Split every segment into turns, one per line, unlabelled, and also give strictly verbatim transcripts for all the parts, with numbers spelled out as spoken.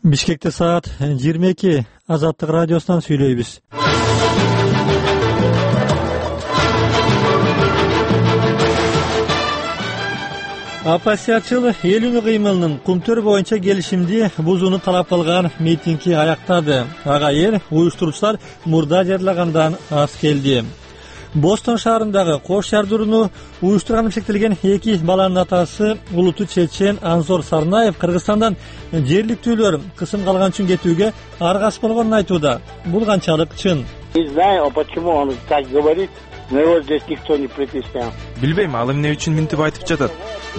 Бишкекте саат жыйырма эки. Азаттык радиосунан сүйлөйбүз. Оппозициячыл эл үнү кыймылынын Кумтөр боюнча келишимди бузууну талап кылган митинги аяктады. Ага эл уюштуруучулар мурда жарыялагандан аз келди. Бостон шаарындагы кош жардырууну уюштурганы шектелген эки баланын атасы улуту чечен Анзор Сарнаев Кыргызстандан жергиликтүүлөр кысым калган үчүн кетүүгө аргасыз болгонун айтууда. Бул канчалык чын?
Не знаю, почему он так говорит, но его здесь никто не притеснял.
Билбейм, ал эмне үчүн мынтип айтып жатат.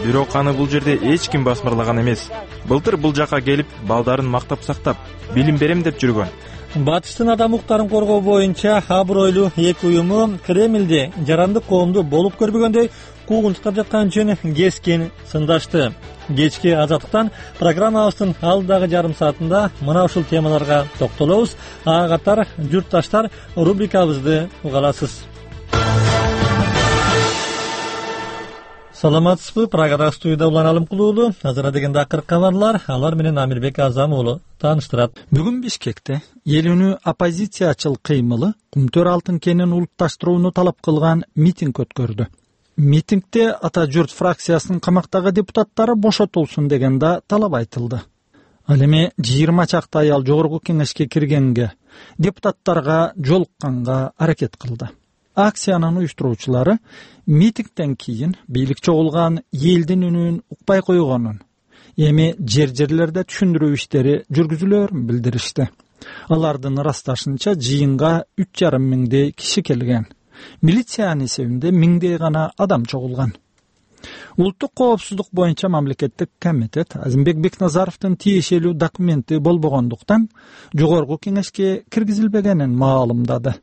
Бирок аны бул жерде эч ким басмырлаган эмес. Былтыр бул жака келип, балдарын мактап сактап, билим берем деп жүргөн.
Батыштын адам укуктарын коргоо боюнча абройлуу эки уюму Кремльде жарандык коомду болуп көрбөгөндөй куугунтуктап жаткан үчүн кескин сындашты. Кечки Азаттыктан программабыздын алдагы жарым саатында мына ушул темаларга токтолобуз. Ага катар журтташтар рубрикабызды уга аласыз. Саламатсызбы? Прагада студияда Улан Алымкул уулу. Азыр дегенде акыркы кабарлар, алар менен Амирбек Азам уулу тааныштырат.
Бүгүн Бишкекте эл үнү оппозициячыл кыймылы Кумтөр алтын кенин улутташтырууну талап кылган митинг өткөрдү. Митингде Ата журт фракциясынын камактагы депутаттары бошотулсун деген да талап айтылды. Ал эми жыйырма чакты аял жогорку кеңешке киргенге, депутаттарга жолукканга аракет кылды. Акциянын уюштуруучулары митингден кийин бийлик чогулган элдин үнүн укпай койгонун, эми жер-жерлерде түшүндүрүү иштери жүргүзүлөөрүн билдиришти. Алардын ырасташынча жыйынга үч жарым миңдей киши келген. Милициянын эсебинде миңдей гана адам чогулган. Улуттук коопсуздук боюнча мамлекеттик комитет Азимбек Бекназаровдун тиешелүү документи болбогондуктан жогорку кеңешке киргизилбегенин маалымдады.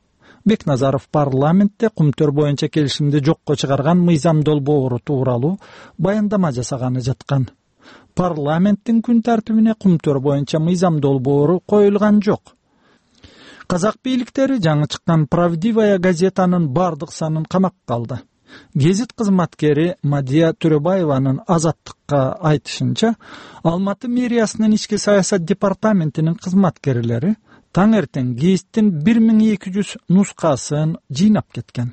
Бекназаров парламентте Кумтөр боюнча келишимди жокко чыгарган мыйзам долбоору тууралуу баяндама жасаганы жаткан. Парламенттин күн тартибине Кумтөр боюнча мыйзам долбоору коюлган жок. Казак бийликтери жаңы чыккан Правдивая газетанын бардык санын камакка алды. Гезит кызматкери Мадия Төрөбаеванын Азаттыкка айтышынча, Алматы мэриясынын ички саясат департаментинин кызматкерлери таң эртең гезиттин бир миң эки жүз нускасын жыйнап кеткен.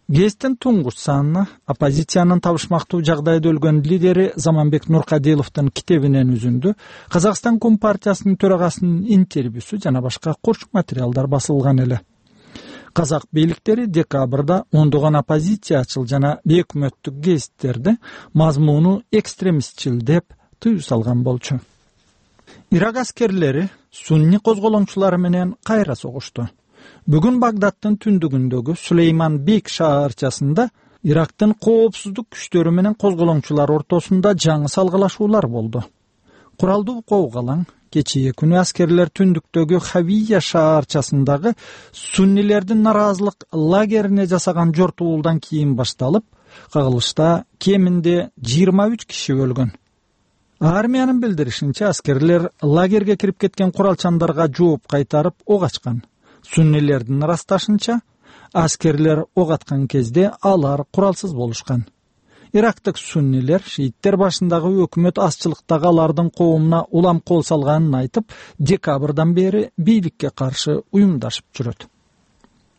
Гезиттин туңгуч санына оппозициянын табышмактуу жагдайда өлгөн лидери Заманбек Нуркадиловдун китебинен үзүндү, Казакстан Компартиясынын төрагасынын интервьюсу жана башка курчук материалдар басылган эле. Казак бийликтери декабрда ондогон оппозициячыл жана өкмөттүк гезиттерди мазмуну экстремистчил деп тыюу салган болчу. Ирак аскерлери сунни козголоңчулары менен кайра согушту. Бүгүн Багдадтын түндүгүндөгү Сулейман Бек шаарчасында Ирактын коопсуздук күчтөрү менен козголоңчулар ортосунда жаңы салгылашуулар болду. Куралдуу коогалаң кечээ күнү аскерлер түндүктөгү Хавия шаарчасындагы суннилердин нараазылык лагерине жасаган жортуулдан кийин башталып, кагылышта кеминде жыйырма үч киши өлгөн. Армиянын билдиришинче, аскерлер лагерге кирип кеткен куралчандарга жооп кайтарып ок ачкан. Суннилердин ырасташынча, аскерлер ок аткан кезде алар куралсыз болушкан. Ирактык суннилер шииттер башындагы өкмөт азчылыктагы алардын коомуна улам кол салганын айтып, декабрдан бери бийликке каршы уюмдашып жүрөт.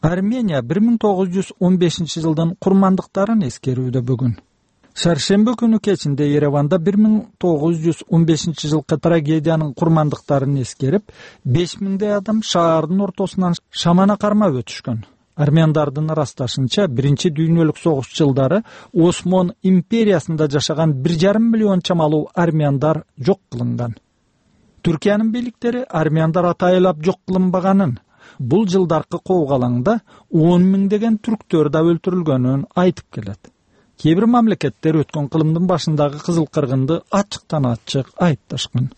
Армения бир миң тогуз жүз он бешинчи жылдын курмандыктарын эскерүүдө бүгүн. Шаршембе күнү кечинде Ереванда бир миң тогуз жүз он бешинчи жылкы трагедиянын курмандыктарын эскерип, беш миңдей адам шаардын ортосунан шамана кармап өтүшкөн. Армяндардын ырасташынча, биринчи дүйнөлүк согуш жылдары Осмон империясында жашаган бир жарым миллион чамалуу армяндар жок кылынган. Түркиянын бийликтери армяндар атайылап жок кылынбаганын, бул жылдаркы коогалаңда он миңдеген түрктөр да өлтүрүлгөнүн айтып келет. Кээ бир мамлекеттер өткөн кылымдын башындагы кызыл кыргынды ачыктан ачык айыпташкан.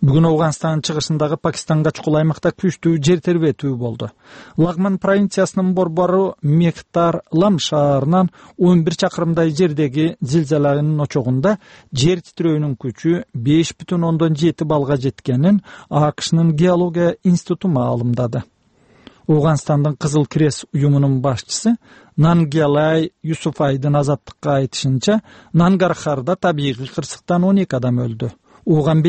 Бүгүн Афганстандын чыгышындагы Пакистанга чукул аймакта күчтүү жер тербетүү болду. Лагман провинциясынын борбору Мехтар Лам шаарынан он бир чакырымдай жердеги зилзаланын очогунда жер титирөөнүн күчү беш бүтүн ондон жети балга жеткенин АКШнын геология институту маалымдады. Афганстандын Кызыл Крест уюмунун башчысы Нангелай Юсуфайдын Азаттыкка айтышынча, Нангархарда табигый кырсыктан он эки адам өлдү. Оған